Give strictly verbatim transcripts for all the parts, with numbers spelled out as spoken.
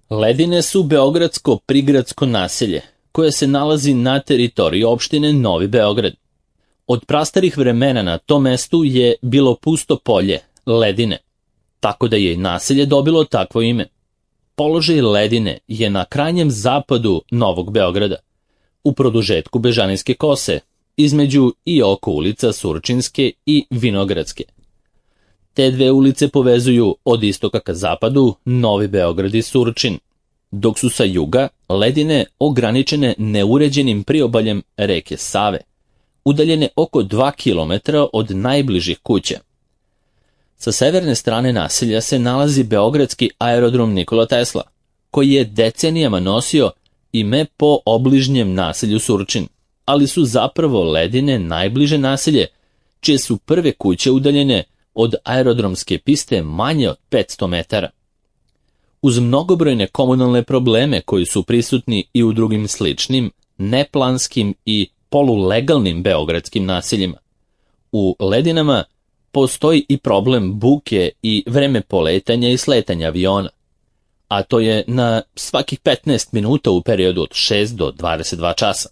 Ledine su beogradsko prigradsko naselje, koje se nalazi na teritoriji opštine Novi Beograd. Od prastarih vremena na tom mestu je bilo pusto polje, Ledine, tako da je i naselje dobilo takvo ime. Položaj Ledine je na krajnjem zapadu Novog Beograda, u produžetku Bežanijske kose, između i oko ulica Surčinske i Vinogradske. Te dve ulice povezuju od istoka ka zapadu Novi Beograd i Surčin, dok su sa juga Ledine ograničene neuređenim priobaljem reke Save, udaljene oko dva kilometra od najbližih kuća. Sa severne strane naselja se nalazi beogradski aerodrom Nikola Tesla, koji je decenijama nosio ime po obližnjem naselju Surčin, ali su zapravo Ledine najbliže naselje, čije su prve kuće udaljene od aerodromske piste manje od petsto metara. Uz mnogobrojne komunalne probleme koji su prisutni i u drugim sličnim, neplanskim i polulegalnim beogradskim naseljima, u Ledinama postoji i problem buke i vreme poletanja i sletanja aviona, a to je na svakih petnaest minuta u periodu od šest do dvadeset dva časa,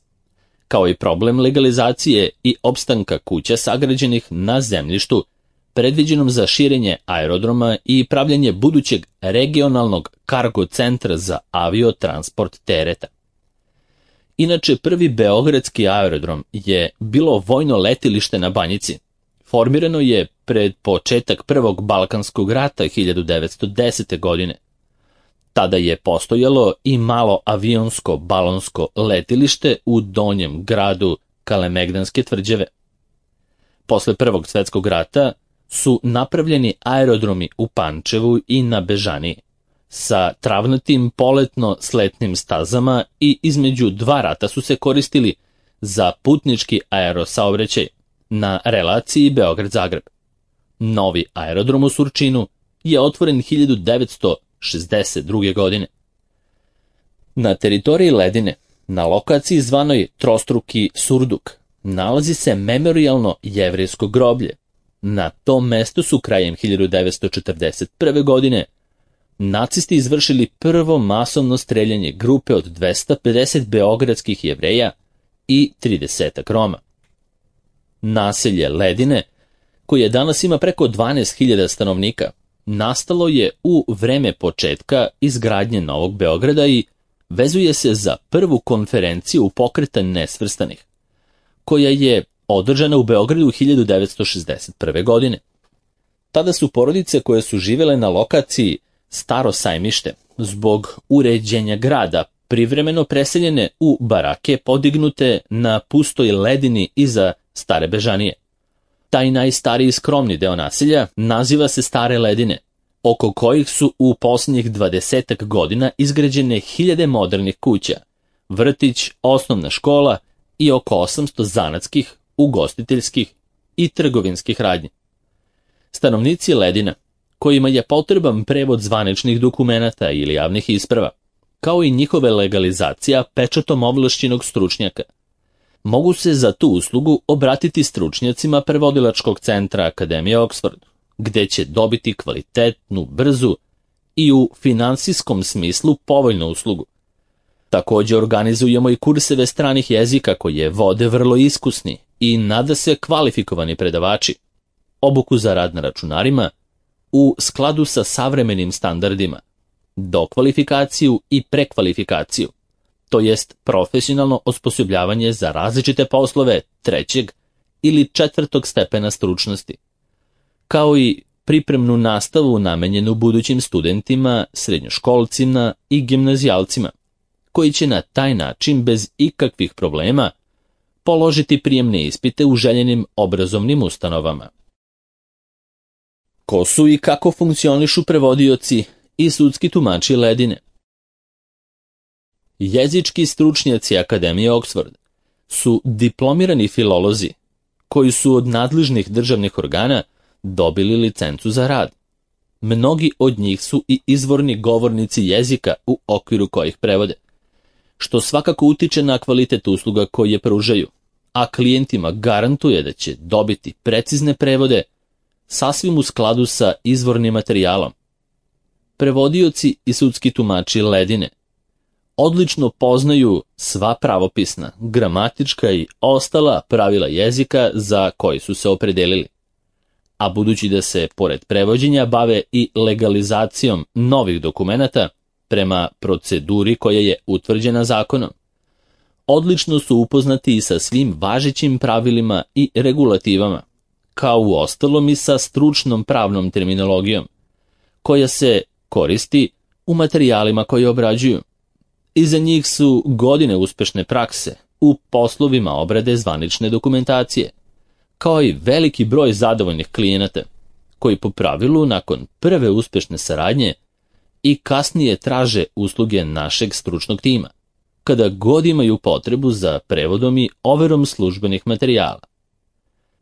kao i problem legalizacije i opstanka kuća sagrađenih na zemljištu predviđenom za širenje aerodroma i pravljanje budućeg regionalnog kargo centra za aviotransport tereta. Inače, prvi beogradski aerodrom je bilo vojno letilište na Banjici. Formirano je pred početak Prvog Balkanskog rata hiljadu devetsto desete. godine. Tada je postojalo i malo avionsko balonsko letilište u donjem gradu Kalemegdanske tvrđave. Posle Prvog svetskog rata su napravljeni aerodromi u Pančevu i na Bežaniji, sa travnatim poletno-sletnim stazama i između dva rata su se koristili za putnički aerosaobraćaj na relaciji Beograd-Zagreb. Novi aerodrom u Surčinu je otvoren hiljadu devetsto šezdeset druge. godine. Na teritoriji Ledine, na lokaciji zvanoj Trostruki Surduk, nalazi se memorijalno jevrejsko groblje. Na tom mestu su krajem hiljadu devetsto četrdeset prve. godine nacisti izvršili prvo masovno streljanje grupe od dvesta pedeset beogradskih Jevreja i tridesetak Roma. Naselje Ledine, koje danas ima preko dvanaest hiljada stanovnika, nastalo je u vreme početka izgradnje Novog Beograda i vezuje se za prvu konferenciju Pokreta nesvrstanih, koja je održana u Beogradu hiljadu devetsto šezdeset prve. godine. Tada su porodice koje su živele na lokaciji Staro Sajmište, zbog uređenja grada, privremeno preseljene u barake podignute na pustoj Ledini iza Stare Bežanije. Taj najstariji skromni deo naselja naziva se Stare Ledine, oko kojih su u posljednjih dvadesetak godina izgrađene hiljade modernih kuća, vrtić, osnovna škola i oko osamsto zanatskih, ugostiteljskih i trgovinskih radnji. Stanovnici Ledina, kojima je potreban prevod zvaničnih dokumenata ili javnih isprava, kao i njihove legalizacija pečatom ovlašćenog stručnjaka, mogu se za tu uslugu obratiti stručnjacima prevodilačkog centra Akademije Oxford, gde će dobiti kvalitetnu, brzu i u finansijskom smislu povoljnu uslugu. Također organizujemo i kurseve stranih jezika koje vode vrlo iskusni i nada se kvalifikovani predavači, obuku za rad na računarima u skladu sa savremenim standardima, dokvalifikaciju i prekvalifikaciju, to jest profesionalno osposobljavanje za različite poslove trećeg ili četvrtog stepena stručnosti, kao i pripremnu nastavu namenjenu budućim studentima, srednjoškolcima i gimnazijalcima, koji će na taj način bez ikakvih problema položiti prijemne ispite u željenim obrazovnim ustanovama. Ko su i kako funkcionišu prevodioci i sudski tumači Ledine? Jezički stručnjaci Akademije Oxford su diplomirani filolozi koji su od nadležnih državnih organa dobili licencu za rad. Mnogi od njih su i izvorni govornici jezika u okviru kojih prevode, što svakako utiče na kvalitet usluga koje pružaju, a klijentima garantuje da će dobiti precizne prevode sasvim u skladu sa izvornim materijalom. prevodioci i sudski tumači ledine odlično poznaju sva pravopisna, gramatička i ostala pravila jezika za koji su se opredelili. A budući da se, pored prevođenja, bave i legalizacijom novih dokumenata prema proceduri koja je utvrđena zakonom, odlično su upoznati i sa svim važećim pravilima i regulativama, kao u ostalom i sa stručnom pravnom terminologijom, koja se koristi u materijalima koje obrađuju. Iza njih su godine uspešne prakse u poslovima obrade zvanične dokumentacije, kao i veliki broj zadovoljnih klijenata, koji po pravilu nakon prve uspešne saradnje i kasnije traže usluge našeg stručnog tima, kada god imaju potrebu za prevodom i overom službenih materijala.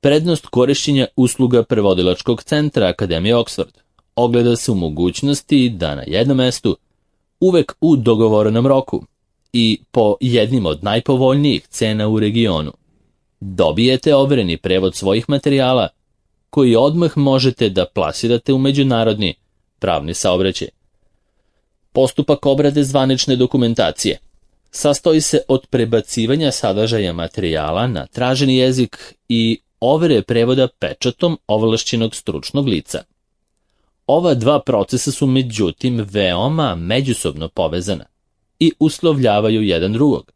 Prednost korišćenja usluga prevodilačkog centra Akademije Oxford ogleda se u mogućnosti da na jednom mestu, uvek u dogovorenom roku i po jednim od najpovoljnijih cena u regionu, dobijete overeni prevod svojih materijala koji odmah možete da plasirate u međunarodni pravni saobraćaj. Postupak obrade zvanične dokumentacije sastoji se od prebacivanja sadržaja materijala na traženi jezik i overe prevoda pečatom ovlašćenog stručnog lica. Ova dva procesa su međutim veoma međusobno povezana i uslovljavaju jedan drugog.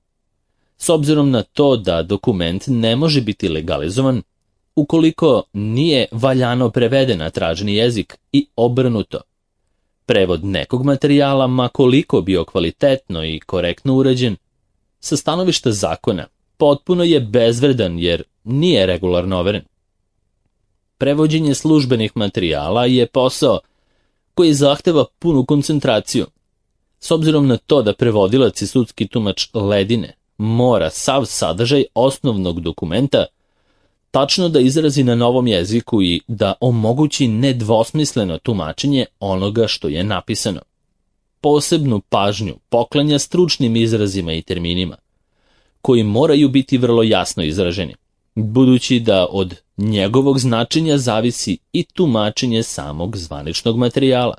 S obzirom na to da dokument ne može biti legalizovan ukoliko nije valjano preveden na traženi jezik i obrnuto. Prevod nekog materijala, ma koliko bio kvalitetno i korektno urađen, sa stanovišta zakona potpuno je bezvredan jer nije regularno overen. Prevođenje službenih materijala je posao koji zahteva punu koncentraciju. S obzirom na to da prevodilac i sudski tumač ledine mora sav sadržaj osnovnog dokumenta tačno da izrazi na novom jeziku i da omogući nedvosmisleno tumačenje onoga što je napisano. Posebnu pažnju poklanja stručnim izrazima i terminima, koji moraju biti vrlo jasno izraženi, budući da od njegovog značenja zavisi i tumačenje samog zvaničnog materijala.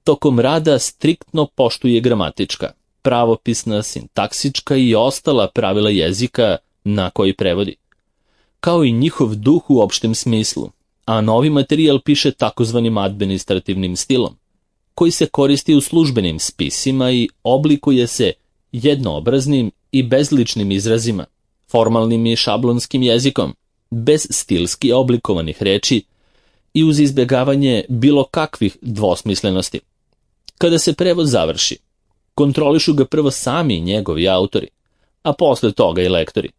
Tokom rada striktno poštuje gramatička, pravopisna, sintaksička i ostala pravila jezika na koji prevodi, kao i njihov duh u opštem smislu, a novi materijal piše takozvanim administrativnim stilom, koji se koristi u službenim spisima i oblikuje se jednoobraznim i bezličnim izrazima, formalnim i šablonskim jezikom, bez stilski oblikovanih reči i uz izbjegavanje bilo kakvih dvosmislenosti. Kada se prevod završi, kontrolišu ga prvo sami njegovi autori, a posle toga i lektori,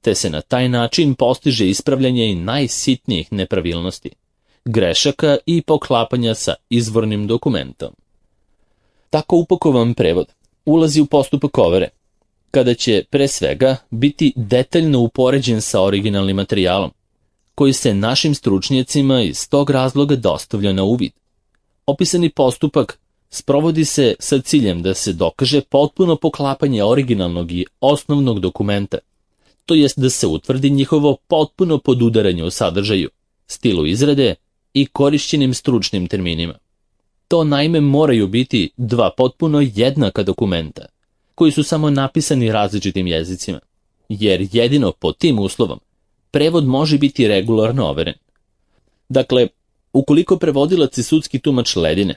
te se na taj način postiže ispravljanje i najsitnijih nepravilnosti, grešaka i poklapanja sa izvornim dokumentom. Tako upakovan prevod ulazi u postupak overe, kada će pre svega biti detaljno upoređen sa originalnim materijalom, koji se našim stručnjacima iz tog razloga dostavlja na uvid. Opisani postupak sprovodi se sa ciljem da se dokaže potpuno poklapanje originalnog i osnovnog dokumenta, to jest da se utvrdi njihovo potpuno podudaranje u sadržaju, stilu izrade i korišćenim stručnim terminima. To naime moraju biti dva potpuno jednaka dokumenta, koji su samo napisani različitim jezicima, jer jedino pod tim uslovom prevod može biti regularno overen. Dakle, ukoliko prevodilac i sudski tumač ledine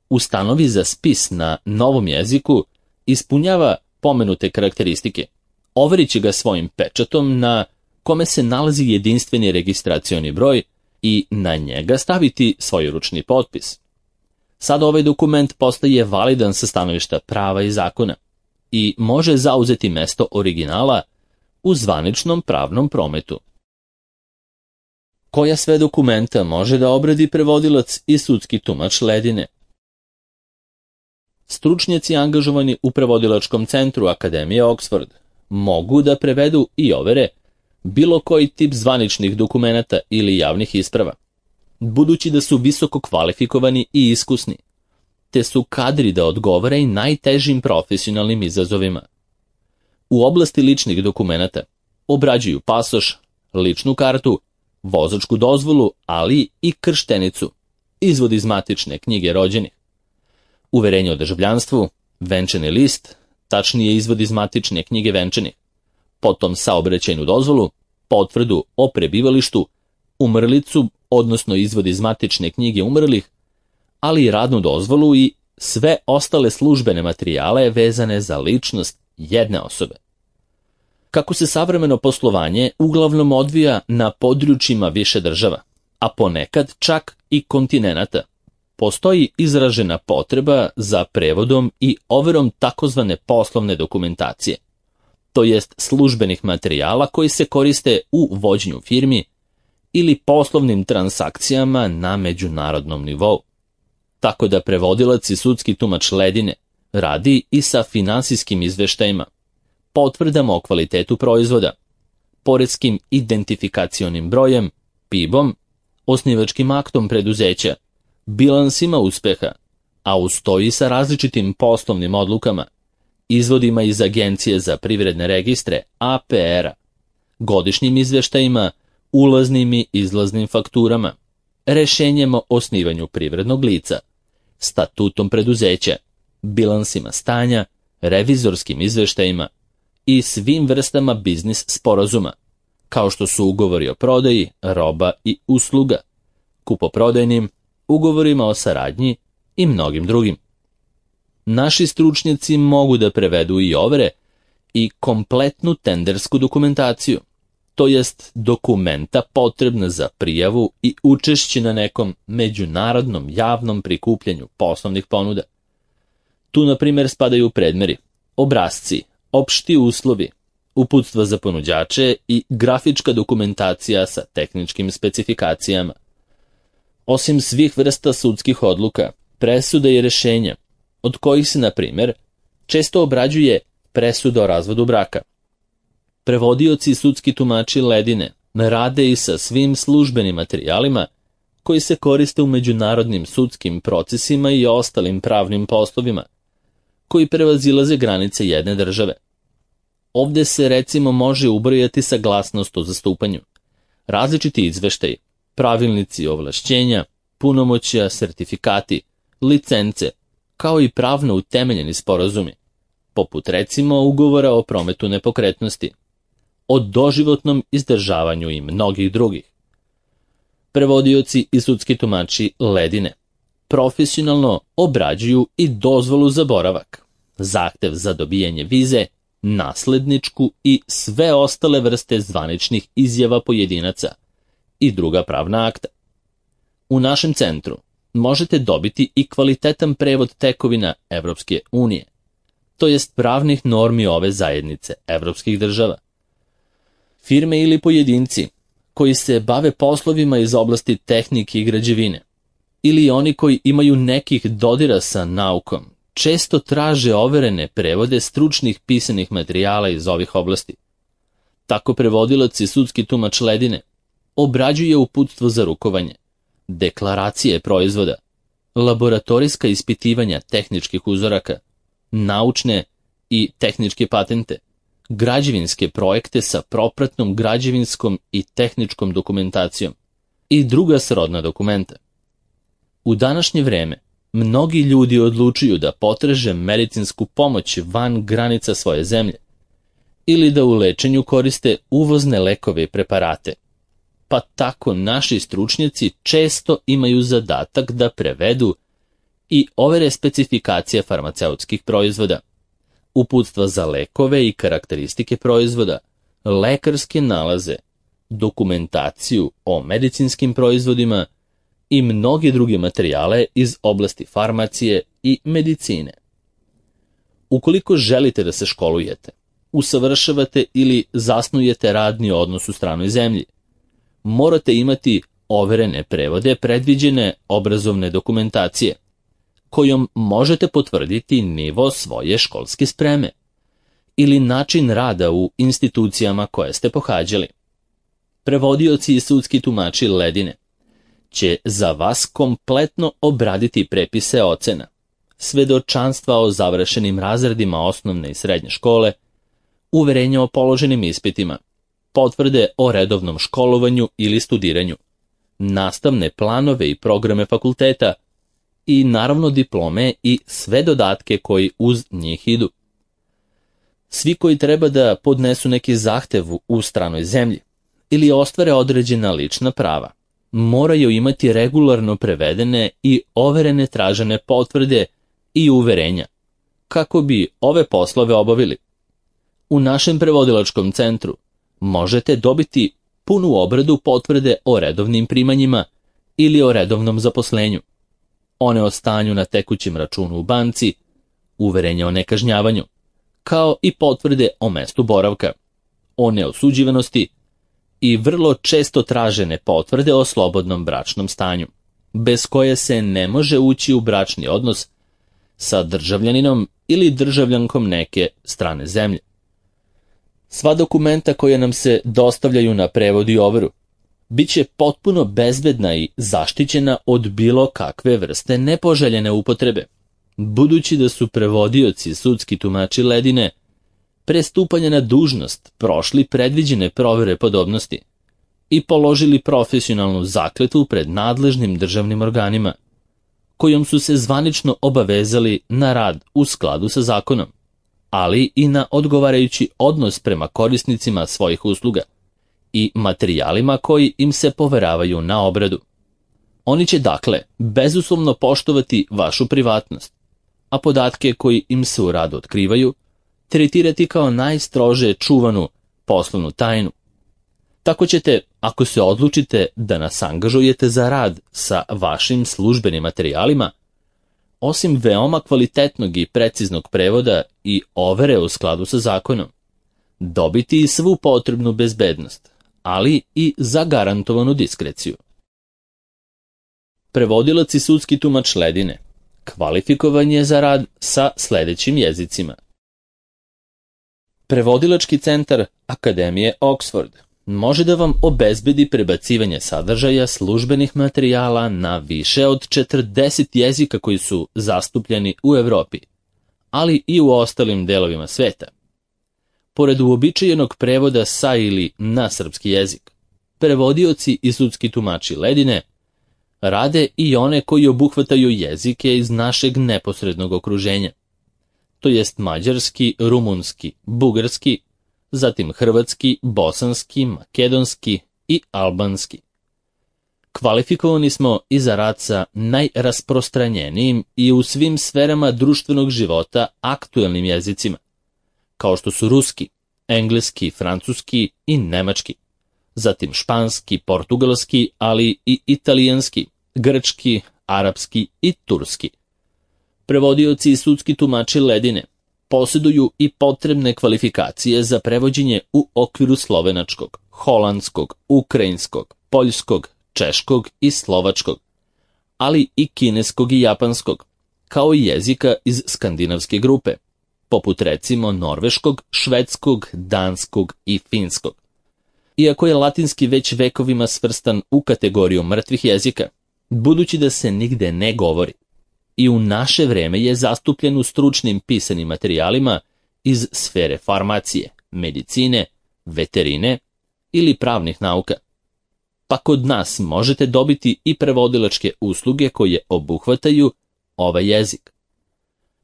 ustanovi za spis na novom jeziku ispunjava pomenute karakteristike, overit će ga svojim pečatom na kome se nalazi jedinstveni registracioni broj i na njega staviti svoj ručni potpis. Sad ovaj dokument postaje validan sa stanovišta prava i zakona i može zauzeti mesto originala u zvaničnom pravnom prometu. Koja sve dokumenta može da obradi prevodilac i sudski tumač ledine? Stručnjaci angažovani u prevodilačkom centru Akademije Oxford mogu da prevedu i overe bilo koji tip zvaničnih dokumenata ili javnih isprava, budući da su visoko kvalifikovani i iskusni, te su kadri da odgovore i najtežim profesionalnim izazovima. U oblasti ličnih dokumenata obrađuju pasoš, ličnu kartu, vozačku dozvolu, ali i krštenicu, izvod iz matične knjige rođenih, uverenje o državljanstvu, venčani list, tačnije izvod iz matične knjige venčanih, potom saobraćajnu dozvolu, potvrdu o prebivalištu, umrlicu, odnosno izvod iz matične knjige umrlih, ali i radnu dozvolu i sve ostale službene materijale vezane za ličnost jedne osobe. Kako se savremeno poslovanje uglavnom odvija na područjima više država, a ponekad čak i kontinenata, postoji izražena potreba za prevodom i overom takozvane poslovne dokumentacije, to jest službenih materijala koji se koriste u vođenju firmi ili poslovnim transakcijama na međunarodnom nivou. Tako da prevodilac i sudski tumač ledine radi i sa finansijskim izveštajima, potvrdama o kvalitetu proizvoda, poreskim identifikacionim brojem, P I B-om, osnivačkim aktom preduzeća, bilansima uspeha, a uz to i sa različitim poslovnim odlukama, izvodima iz Agencije za privredne registre A P R-a, godišnjim izveštajima, ulaznim i izlaznim fakturama, rešenjem o osnivanju privrednog lica, statutom preduzeća, bilansima stanja, revizorskim izveštajima i svim vrstama biznis sporazuma, kao što su ugovori o prodaji, roba i usluga, kupoprodajnim, ugovorima o saradnji i mnogim drugim. Naši stručnjaci mogu da prevedu i overe i kompletnu tendersku dokumentaciju, to jest dokumenta potrebna za prijavu i učešće na nekom međunarodnom javnom prikupljanju poslovnih ponuda. Tu, na primjer, spadaju predmeri, obrasci, opšti uslovi, uputstva za ponuđače i grafička dokumentacija sa tehničkim specifikacijama. Osim svih vrsta sudskih odluka, presuda i rešenja, od kojih se, na primjer, često obrađuje presuda o razvodu braka. Prevodioci i sudski tumači ledine rade i sa svim službenim materijalima koji se koriste u međunarodnim sudskim procesima i ostalim pravnim poslovima, koji prevazilaze granice jedne države. Ovde se recimo može ubrojati saglasnost o zastupanju, različiti izveštaji, pravilnici ovlašćenja, punomoćja, sertifikati, licence, kao i pravno utemeljeni sporazumi, poput recimo ugovora o prometu nepokretnosti, o doživotnom izdržavanju i mnogih drugih. Prevodioci i sudski tumači ledine profesionalno obrađuju i dozvolu za boravak, zahtev za dobijanje vize, nasledničku i sve ostale vrste zvaničnih izjava pojedinaca i druga pravna akta. U našem centru možete dobiti i kvalitetan prevod tekovina Evropske unije, to jest pravnih normi ove zajednice evropskih država. Firme ili pojedinci koji se bave poslovima iz oblasti tehnike i građevine, ili oni koji imaju nekih dodira sa naukom, često traže overene prevode stručnih pisanih materijala iz ovih oblasti. Tako prevodilac i sudski tumač ledine obrađuje uputstvo za rukovanje, deklaracije proizvoda, laboratorijska ispitivanja tehničkih uzoraka, naučne i tehničke patente, građevinske projekte sa propratnom građevinskom i tehničkom dokumentacijom i druga srodna dokumenta. U današnje vreme mnogi ljudi odlučuju da potraže medicinsku pomoć van granica svoje zemlje ili da u lečenju koriste uvozne lekove i preparate, pa tako naši stručnjaci često imaju zadatak da prevedu i overe specifikacije farmaceutskih proizvoda, uputstva za lekove i karakteristike proizvoda, lekarske nalaze, dokumentaciju o medicinskim proizvodima i mnoge druge materijale iz oblasti farmacije i medicine. Ukoliko želite da se školujete, usavršavate ili zasnujete radni odnos u stranoj zemlji, morate imati overene prevode predviđene obrazovne dokumentacije, kojom možete potvrditi nivo svoje školske spreme ili način rada u institucijama koje ste pohađali. Prevodioci i sudski tumači ledine će za vas kompletno obraditi prepise ocena, svedočanstva o završenim razredima osnovne i srednje škole, uverenja o položenim ispitima, potvrde o redovnom školovanju ili studiranju, nastavne planove i programe fakulteta i naravno diplome i sve dodatke koji uz njih idu. Svi koji treba da podnesu neki zahtev u stranoj zemlji ili ostvare određena lična prava, moraju imati regularno prevedene i overene tražene potvrde i uverenja, kako bi ove poslove obavili. U našem prevodilačkom centru možete dobiti punu obradu potvrde o redovnim primanjima ili o redovnom zaposlenju, one o stanju na tekućem računu u banci, uverenja o nekažnjavanju, kao i potvrde o mestu boravka, o neosuđivanosti i vrlo često tražene potvrde o slobodnom bračnom stanju, bez koje se ne može ući u bračni odnos sa državljaninom ili državljankom neke strane zemlje. Sva dokumenta koja nam se dostavljaju na prevod i overu bit će potpuno bezbedna i zaštićena od bilo kakve vrste nepoželjene upotrebe, budući da su prevodioci sudski tumači ledine pre stupanja na dužnost prošli predviđene provere podobnosti i položili profesionalnu zakletvu pred nadležnim državnim organima, kojom su se zvanično obavezali na rad u skladu sa zakonom, ali i na odgovarajući odnos prema korisnicima svojih usluga i materijalima koji im se poveravaju na obradu. Oni će dakle bezuslovno poštovati vašu privatnost, a podatke koji im se u radu otkrivaju tretirati kao najstrože čuvanu poslovnu tajnu. Tako ćete, ako se odlučite da nas angažujete za rad sa vašim službenim materijalima, osim veoma kvalitetnog i preciznog prevoda i overe u skladu sa zakonom, dobiti i svu potrebnu bezbednost, ali i zagarantovanu diskreciju. Prevodilac i sudski tumač ledine kvalifikovan je za rad sa sledećim jezicima. Prevodilački centar Akademije Oxford može da vam obezbedi prebacivanje sadržaja službenih materijala na više od četrdeset jezika koji su zastupljeni u Evropi, ali i u ostalim delovima sveta. Pored uobičajenog prevoda sa ili na srpski jezik, prevodioci i sudski tumači ledine rade i one koji obuhvataju jezike iz našeg neposrednog okruženja, to jest mađarski, rumunski, bugarski, zatim hrvatski, bosanski, makedonski i albanski. Kvalifikovani smo i za rad sa najrasprostranjenijim i u svim sferama društvenog života aktuelnim jezicima, kao što su ruski, engleski, francuski i nemački, zatim španski, portugalski, ali i italijanski, grčki, arapski i turski. Prevodioci i sudski tumači ledine posjeduju i potrebne kvalifikacije za prevođenje u okviru slovenačkog, holandskog, ukrajinskog, poljskog, češkog i slovačkog, ali i kineskog i japanskog, kao i jezika iz skandinavske grupe, poput recimo norveškog, švedskog, danskog i finskog. Iako je latinski već vekovima svrstan u kategoriju mrtvih jezika, budući da se nigde ne govori, i u naše vreme je zastupljen u stručnim pisanim materijalima iz sfere farmacije, medicine, veterine ili pravnih nauka. Pa kod nas možete dobiti i prevodilačke usluge koje obuhvataju ovaj jezik.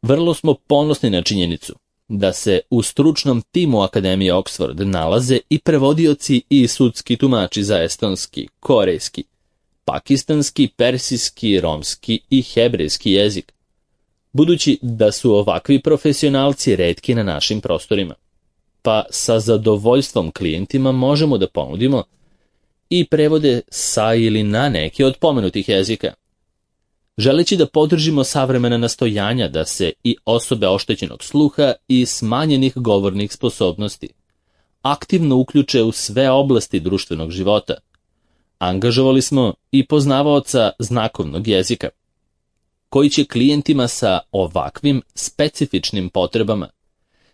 Vrlo smo ponosni na činjenicu da se u stručnom timu Akademije Oxford nalaze i prevodioci i sudski tumači za estonski, korejski, pakistanski, persijski, romski i hebrejski jezik, budući da su ovakvi profesionalci retki na našim prostorima, pa sa zadovoljstvom klijentima možemo da ponudimo i prevode sa ili na neki od pomenutih jezika. Želeći da podržimo savremena nastojanja da se i osobe oštećenog sluha i smanjenih govornih sposobnosti aktivno uključe u sve oblasti društvenog života, angažovali smo i poznavaoca znakovnog jezika, koji će klijentima sa ovakvim specifičnim potrebama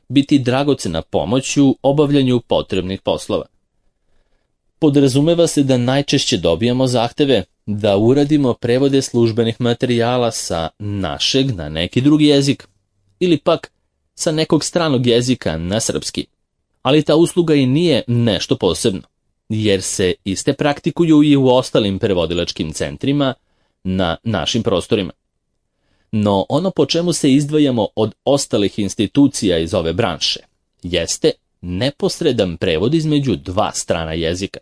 biti dragocena pomoć u obavljanju potrebnih poslova. Podrazumeva se da najčešće dobijamo zahteve da uradimo prevode službenih materijala sa našeg na neki drugi jezik ili pak sa nekog stranog jezika na srpski, ali ta usluga i nije nešto posebno, jer se iste praktikuju i u ostalim prevodilačkim centrima na našim prostorima. No ono po čemu se izdvajamo od ostalih institucija iz ove branše jeste neposredan prevod između dva strana jezika.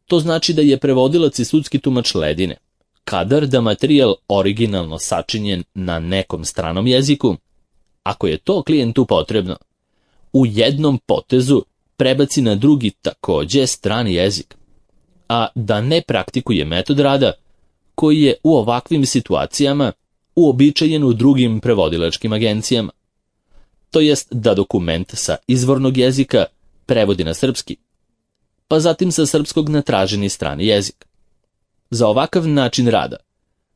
To znači da je prevodilac i sudski tumač ledine, kadar da materijal originalno sačinjen na nekom stranom jeziku, ako je to klijentu potrebno, u jednom potezu prebaci na drugi takođe strani jezik, a da ne praktikuje metod rada koji je u ovakvim situacijama uobičajen u drugim prevodilačkim agencijama. To jest da dokument sa izvornog jezika prevodi na srpski, pa zatim sa srpskog na traženi strani jezik. Za ovakav način rada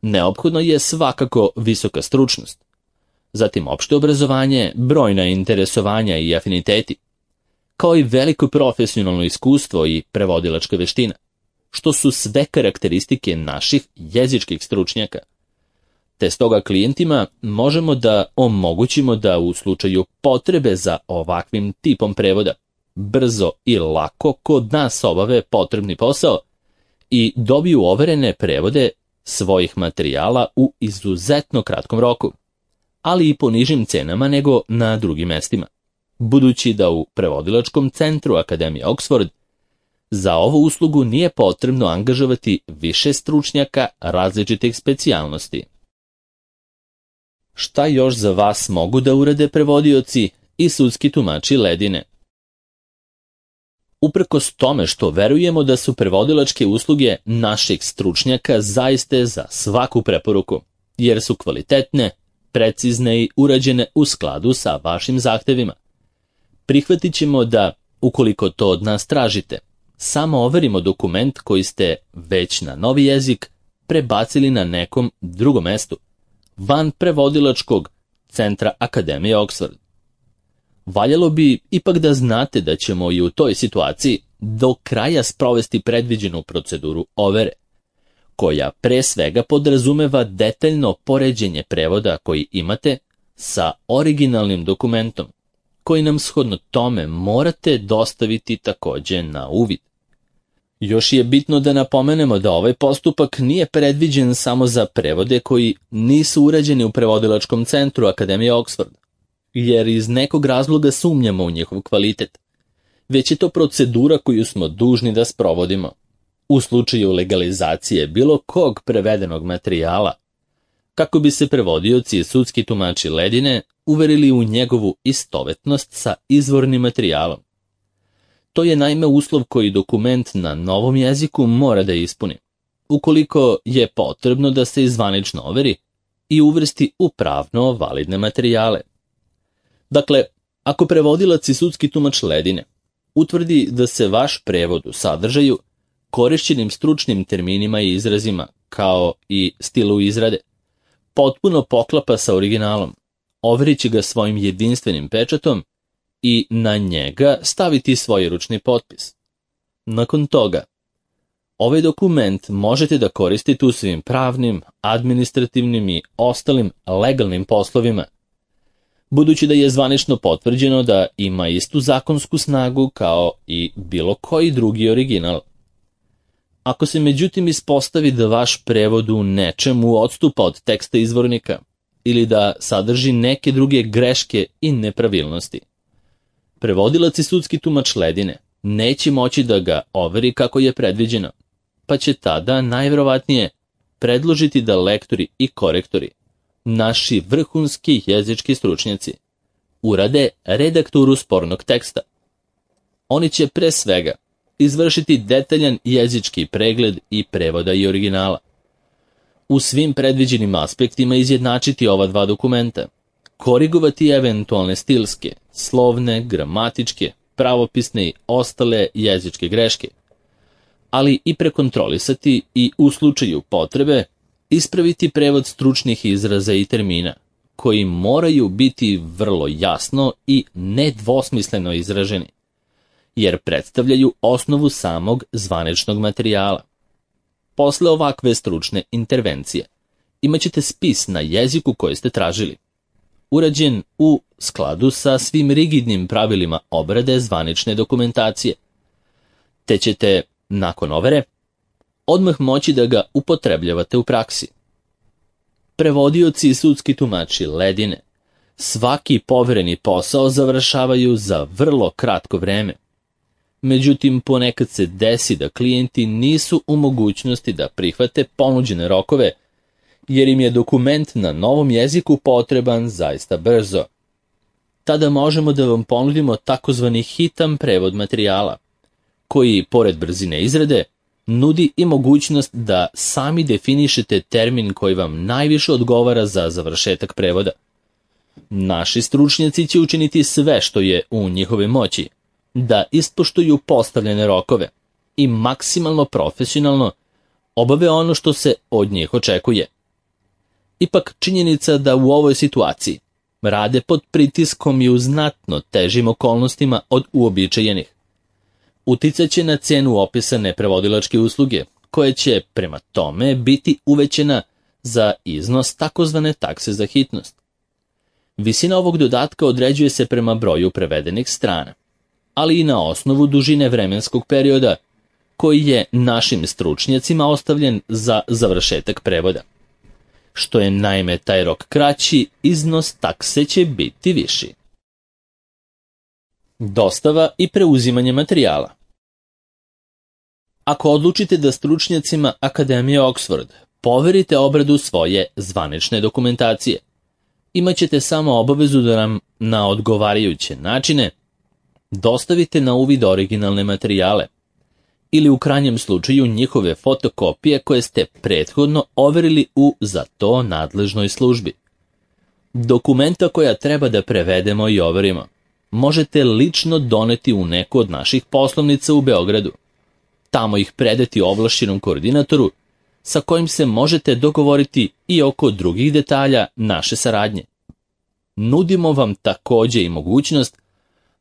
neophodno je svakako visoka stručnost, zatim opšte obrazovanje, brojna interesovanja i afiniteti, kao i veliko profesionalno iskustvo i prevodilačka veština, što su sve karakteristike naših jezičkih stručnjaka. Te stoga klijentima možemo da omogućimo da u slučaju potrebe za ovakvim tipom prevoda brzo i lako kod nas obave potrebni posao i dobiju overene prevode svojih materijala u izuzetno kratkom roku, ali i po nižim cenama nego na drugim mestima, budući da u prevodilačkom centru Akademije Oxford za ovu uslugu nije potrebno angažovati više stručnjaka različitih specijalnosti. Šta još za vas mogu da urade prevodioci i sudski tumači ledine? Uprkos tome što verujemo da su prevodilačke usluge naših stručnjaka zaiste za svaku preporuku, jer su kvalitetne, precizne i urađene u skladu sa vašim zahtevima, prihvatit ćemo da, ukoliko to od nas tražite, samo overimo dokument koji ste već na novi jezik prebacili na nekom drugom mestu, van prevodilačkog centra Akademije Oxford. Valjalo bi ipak da znate da ćemo i u toj situaciji do kraja sprovesti predviđenu proceduru overe, koja pre svega podrazumeva detaljno poređenje prevoda koji imate sa originalnim dokumentom, koji nam shodno tome morate dostaviti takođe na uvid. Još je bitno da napomenemo da ovaj postupak nije predviđen samo za prevode koji nisu urađeni u prevodilačkom centru Akademije Oxford, jer iz nekog razloga sumnjamo u njihov kvalitet, već je to procedura koju smo dužni da sprovodimo u slučaju legalizacije bilo kog prevedenog materijala, kako bi se prevodioci i sudski tumači ledine uverili u njegovu istovetnost sa izvornim materijalom. To je naime uslov koji dokument na novom jeziku mora da ispuni, ukoliko je potrebno da se zvanično overi i uvrsti u pravno validne materijale. Dakle, ako prevodilac i sudski tumač ledine utvrdi da se vaš prevod u sadržaju, korišćenim stručnim terminima i izrazima, kao i stilu izrade, potpuno poklapa sa originalom, overit će ga svojim jedinstvenim pečatom i na njega staviti svoj ručni potpis. Nakon toga, ovaj dokument možete da koristite u svim pravnim, administrativnim i ostalim legalnim poslovima, budući da je zvanično potvrđeno da ima istu zakonsku snagu kao i bilo koji drugi original. Ako se međutim ispostavi da vaš prevod u nečemu odstupa od teksta izvornika ili da sadrži neke druge greške i nepravilnosti, prevodilac i sudski tumač ledine neće moći da ga overi kako je predviđeno, pa će tada najverovatnije predložiti da lektori i korektori, naši vrhunski jezički stručnjaci, urade redakturu spornog teksta. Oni će pre svega izvršiti detaljan jezički pregled i prevoda i originala. U svim predviđenim aspektima izjednačiti ova dva dokumenta, korigovati eventualne stilske, slovne, gramatičke, pravopisne i ostale jezičke greške, ali i prekontrolisati i u slučaju potrebe ispraviti prevod stručnih izraza i termina, koji moraju biti vrlo jasno i nedvosmisleno izraženi, jer predstavljaju osnovu samog zvaničnog materijala. Posle ovakve stručne intervencije imaćete spis na jeziku koji ste tražili, urađen u skladu sa svim rigidnim pravilima obrade zvanične dokumentacije, te ćete, nakon overe, odmah moći da ga upotrebljavate u praksi. prevodioci i sudski tumači ledine svaki povereni posao završavaju za vrlo kratko vreme. Međutim, ponekad se desi da klijenti nisu u mogućnosti da prihvate ponuđene rokove, jer im je dokument na novom jeziku potreban zaista brzo. Tada možemo da vam ponudimo takozvani hitan prevod materijala, koji, pored brzine izrade, nudi i mogućnost da sami definišete termin koji vam najviše odgovara za završetak prevoda. Naši stručnjaci će učiniti sve što je u njihovoj moći da ispoštuju postavljene rokove i maksimalno profesionalno obave ono što se od njih očekuje. Ipak činjenica da u ovoj situaciji rade pod pritiskom i u znatno težim okolnostima od uobičajenih uticat će na cenu opisane prevodilačke usluge, koje će prema tome biti uvećena za iznos takozvane takse za hitnost. Visina ovog dodatka određuje se prema broju prevedenih strana, ali i na osnovu dužine vremenskog perioda koji je našim stručnjacima ostavljen za završetak prevoda. Što je naime taj rok kraći, iznos takse će biti viši. Dostava i preuzimanje materijala. Ako odlučite da stručnjacima Akademije Oxford poverite obradu svoje zvanične dokumentacije, imat ćete samo obavezu da nam na odgovarajuće načine dostavite na uvid originalne materijale ili u krajnjem slučaju njihove fotokopije koje ste prethodno overili u za to nadležnoj službi. Dokumenta koja treba da prevedemo i overimo možete lično doneti u neku od naših poslovnica u Beogradu. Tamo ih predati ovlašćenom koordinatoru sa kojim se možete dogovoriti i oko drugih detalja naše saradnje. Nudimo vam takođe i mogućnost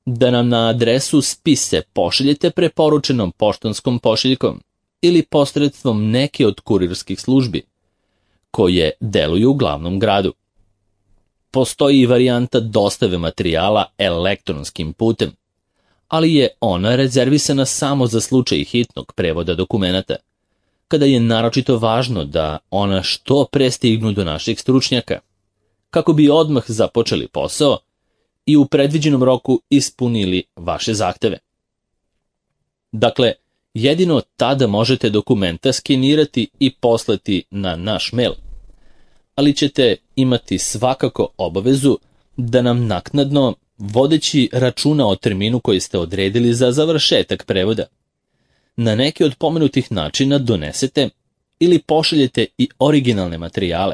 da nam na adresu spise pošaljete preporučenom poštanskom pošiljkom ili posredstvom neke od kurirskih službi koje deluju u glavnom gradu. Postoji i varijanta dostave materijala elektronskim putem, ali je ona rezervisana samo za slučaj hitnog prevoda dokumenata, kada je naročito važno da ona što pre stignu do naših stručnjaka, kako bi odmah započeli posao i u predviđenom roku ispunili vaše zahteve. Dakle, jedino tada možete dokumenta skenirati i poslati na naš mail, ali ćete imati svakako obavezu da nam naknadno, vodeći računa o terminu koji ste odredili za završetak prevoda, na neki od pomenutih načina donesete ili pošaljete i originalne materijale,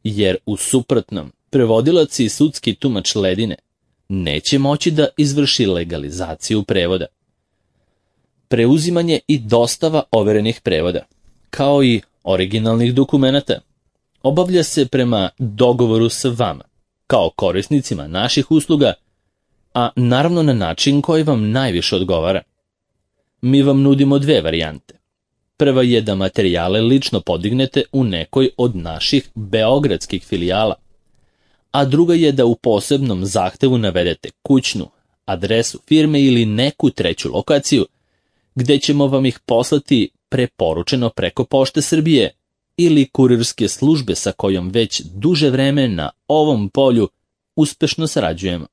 jer u suprotnom prevodilac i sudski tumač ledine neće moći da izvrši legalizaciju prevoda. Preuzimanje i dostava overenih prevoda, kao i originalnih dokumenata, obavlja se prema dogovoru sa vama, kao korisnicima naših usluga, a naravno na način koji vam najviše odgovara. Mi vam nudimo dve varijante. Prva je da materijale lično podignete u nekoj od naših beogradskih filijala, a druga je da u posebnom zahtevu navedete kućnu, adresu firme ili neku treću lokaciju, gde ćemo vam ih poslati preporučeno preko Pošte Srbije ili kurirske službe sa kojom već duže vreme na ovom polju uspešno sarađujemo.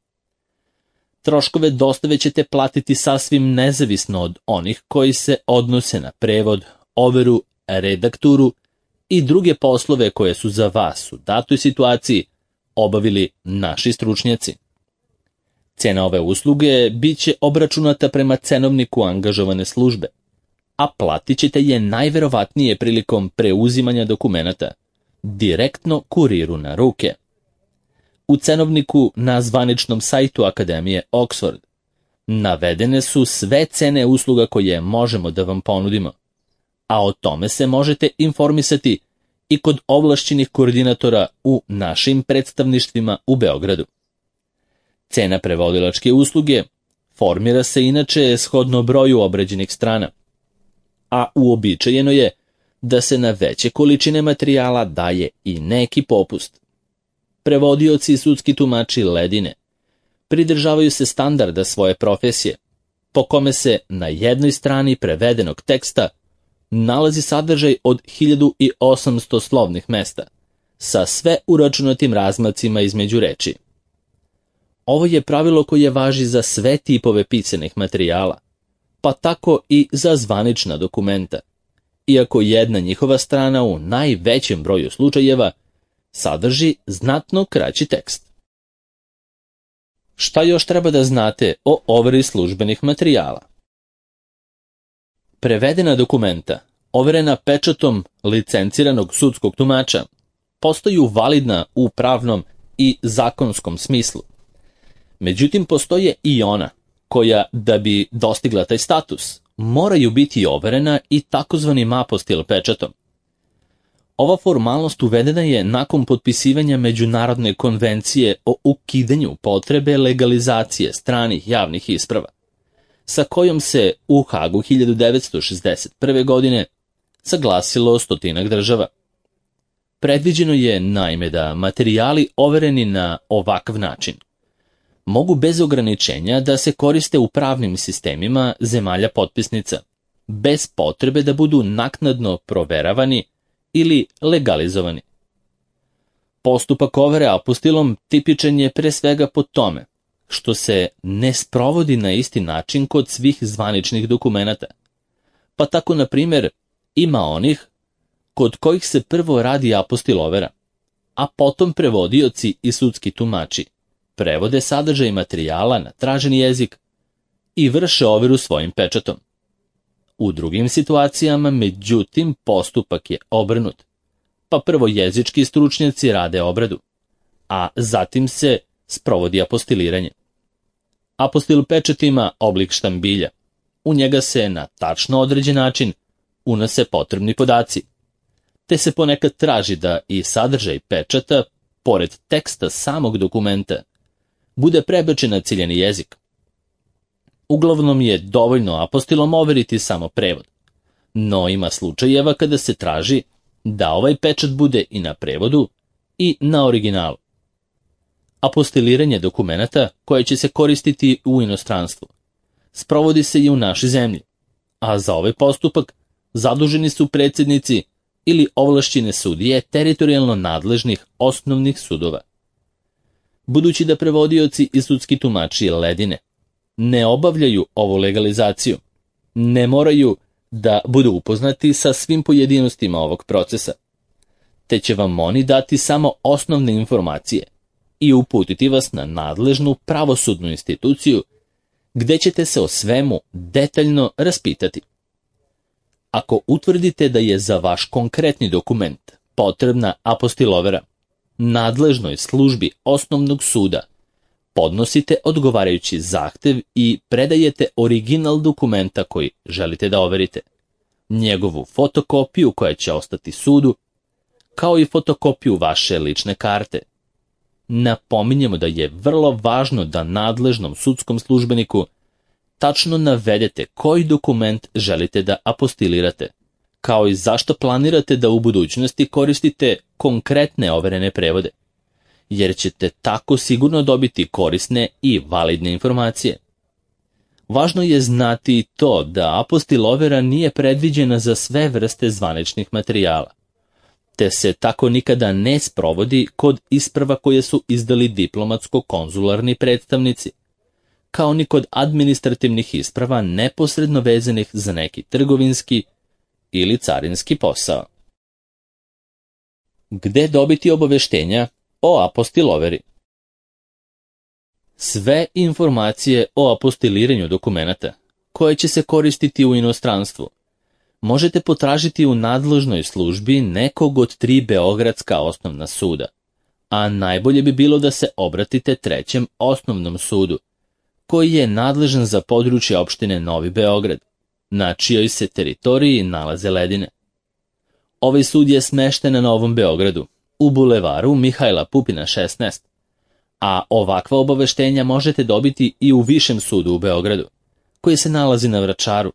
Troškove dostave ćete platiti sasvim nezavisno od onih koji se odnose na prevod, overu, redakturu i druge poslove koje su za vas u datoj situaciji obavili naši stručnjaci. Cena ove usluge bit će obračunata prema cenovniku angažovane službe, a platit ćete je najverovatnije prilikom preuzimanja dokumenata, direktno kuriru na ruke. U cenovniku na zvaničnom sajtu Akademije Oxford navedene su sve cene usluga koje možemo da vam ponudimo, a o tome se možete informisati i kod ovlašćenih koordinatora u našim predstavništvima u Beogradu. Cena prevodilačke usluge formira se inače shodno broju obrađenih strana, a uobičajeno je da se na veće količine materijala daje i neki popust. Prevodioci i sudski tumači ledine pridržavaju se standarda svoje profesije, po kome se na jednoj strani prevedenog teksta nalazi sadržaj od hiljadu osamsto slovnih mesta, sa sve uračunatim razmacima između reči. Ovo je pravilo koje važi za sve tipove pisanih materijala, pa tako i za zvanična dokumenta, iako jedna njihova strana u najvećem broju slučajeva sadrži znatno kraći tekst. Šta još treba da znate o overi službenih materijala? Prevedena dokumenta, overena pečatom licenciranog sudskog tumača, postaju validna u pravnom i zakonskom smislu. Međutim, postoje i ona koja, da bi dostigla taj status, moraju biti overena i takozvanim apostil pečatom. Ova formalnost uvedena je nakon potpisivanja Međunarodne konvencije o ukidanju potrebe legalizacije stranih javnih isprava, sa kojom se u Hagu hiljadu devetsto šezdeset prve. godine saglasilo stotinak država. Predviđeno je, naime, da materijali overeni na ovakav način mogu bez ograničenja da se koriste u pravnim sistemima zemalja potpisnica, bez potrebe da budu naknadno proveravani ili legalizovani. Postupak overe apostilom tipičan je pre svega po tome što se ne sprovodi na isti način kod svih zvaničnih dokumenata, pa tako, na primjer, ima onih kod kojih se prvo radi apostil overa, a potom prevodioci i sudski tumači prevode sadržaj materijala na traženi jezik i vrše overu svojim pečatom. U drugim situacijama, međutim, postupak je obrnut, pa prvo jezički stručnjaci rade obradu, a zatim se sprovodi apostiliranje. Apostil pečat ima oblik štambilja. U njega se na tačno određen način unose potrebni podaci, te se ponekad traži da i sadržaj pečata, pored teksta samog dokumenta, bude prebačen na ciljani jezik. Uglavnom je dovoljno apostilom overiti samo prevod, no ima slučajeva kada se traži da ovaj pečat bude i na prevodu i na originalu. Apostiliranje dokumenata koje će se koristiti u inostranstvu sprovodi se i u našoj zemlji, a za ovaj postupak zaduženi su predsjednici ili ovlašćene sudije teritorijalno nadležnih osnovnih sudova. Budući da prevodioci i sudski tumači ledine ne obavljaju ovu legalizaciju, ne moraju da budu upoznati sa svim pojedinostima ovog procesa, te će vam oni dati samo osnovne informacije i uputiti vas na nadležnu pravosudnu instituciju gde ćete se o svemu detaljno raspitati. Ako utvrdite da je za vaš konkretni dokument potrebna apostil overa, nadležnoj službi osnovnog suda podnosite odgovarajući zahtev i predajete original dokumenta koji želite da overite, njegovu fotokopiju koja će ostati sudu, kao i fotokopiju vaše lične karte. Napominjemo da je vrlo važno da nadležnom sudskom službeniku tačno navedete koji dokument želite da apostilirate, kao i zašto planirate da u budućnosti koristite konkretne overene prevode, jer ćete tako sigurno dobiti korisne i validne informacije. Važno je znati i to da apostil overa nije predviđena za sve vrste zvaničnih materijala, te se tako nikada ne sprovodi kod isprava koje su izdali diplomatsko-konzularni predstavnici, kao ni kod administrativnih isprava neposredno vezanih za neki trgovinski ili carinski posao. Gde dobiti obaveštenja o apostil overi? Sve informacije o apostiliranju dokumenata koje će se koristiti u inostranstvu možete potražiti u nadležnoj službi nekog od tri beogradska osnovna suda, a najbolje bi bilo da se obratite trećem osnovnom sudu, koji je nadležan za područje opštine Novi Beograd, na čijoj se teritoriji nalaze ledine. Ovaj sud je smešten na Novom Beogradu, u bulevaru Mihajla Pupina šesnaest, a ovakva obaveštenja možete dobiti i u Višem sudu u Beogradu, koji se nalazi na Vračaru,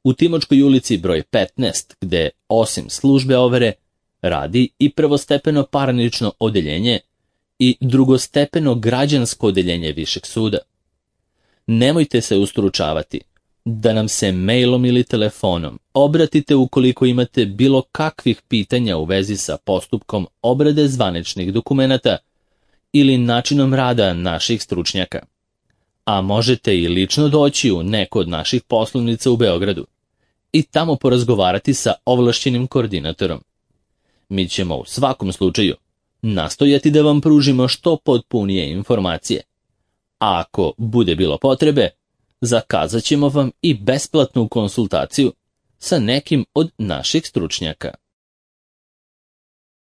u Timočkoj ulici broj petnaest, gde osim službe overe radi i prvostepeno parnično odeljenje i drugostepeno građansko odeljenje Višeg suda. Nemojte se ustručavati da nam se mailom ili telefonom obratite ukoliko imate bilo kakvih pitanja u vezi sa postupkom obrade zvaničnih dokumenata ili načinom rada naših stručnjaka. A možete i lično doći u neku od naših poslovnica u Beogradu i tamo porazgovarati sa ovlašćenim koordinatorom. Mi ćemo u svakom slučaju nastojati da vam pružimo što potpunije informacije. A ako bude bilo potrebe, zakazat ćemo vam i besplatnu konsultaciju sa nekim od naših stručnjaka.